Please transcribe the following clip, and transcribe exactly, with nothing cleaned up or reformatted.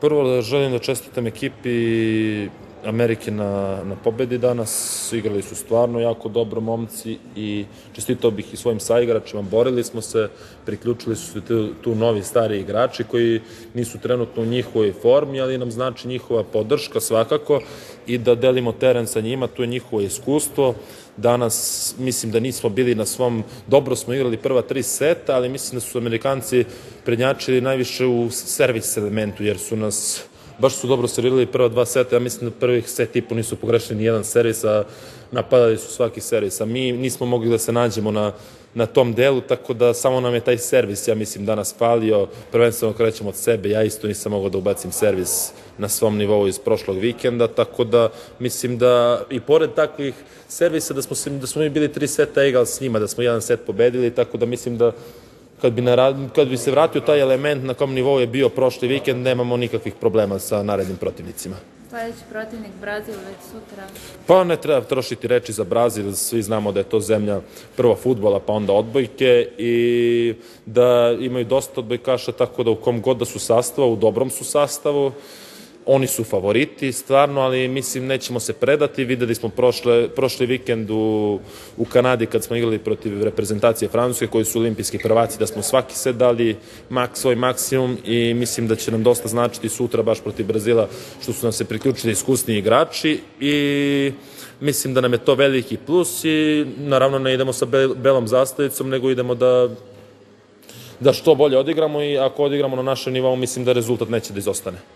Prvo da želim da čestitam ekipi Amerike na, na pobedi danas. Igrali su stvarno jako dobro momci i čestitao bih i svojim saigračima. Borili smo se, priključili su se tu, tu novi stari igrači koji nisu trenutno u njihovoj formi, ali nam znači njihova podrška svakako i da delimo teren sa njima, tu je njihovo iskustvo. Danas mislim da nismo bili na svom, dobro smo igrali prva tri seta, ali mislim da su Amerikanci prednjačili najviše u servis elementu, jer su nas baš su dobro servirali prva dva seta. Ja mislim da prvih set i po nisu pogrešili ni jedan servis, a napadali su svaki servis. A mi nismo mogli da se nađemo na, na tom delu, tako da samo nam je taj servis, ja mislim, danas falio. Prvenstveno krećemo od sebe, ja isto nisam mogao da ubacim servis na svom nivou iz prošlog vikenda, tako da mislim da i pored takvih servisa da smo, da smo mi bili tri seta egal s njima, da smo jedan set pobedili, tako da mislim da Kad bi, narad, kad bi se vratio taj element na kom nivou je bio prošli vikend, nemamo nikakvih problema sa narednim protivnicima. Sledeći protivnik Brazil već sutra. Pa ne treba trošiti reči za Brazil, svi znamo da je to zemlja prvo fudbala pa onda odbojke i da imaju dosta odbojkaša, tako da u kom god da su sastavu, u dobrom su sastavu. Oni su favoriti, stvarno, ali mislim nećemo se predati. Videli smo prošle, prošli vikend u, u Kanadi kad smo igrali protiv reprezentacije Francuske koji su olimpijski prvaci, da smo svaki set dali mak, svoj maksimum i mislim da će nam dosta značiti sutra baš protiv Brazila što su nam se priključili iskusni igrači i mislim da nam je to veliki plus i naravno ne idemo sa belom zastavicom, nego idemo da da što bolje odigramo i ako odigramo na našem nivou mislim da rezultat neće da izostane.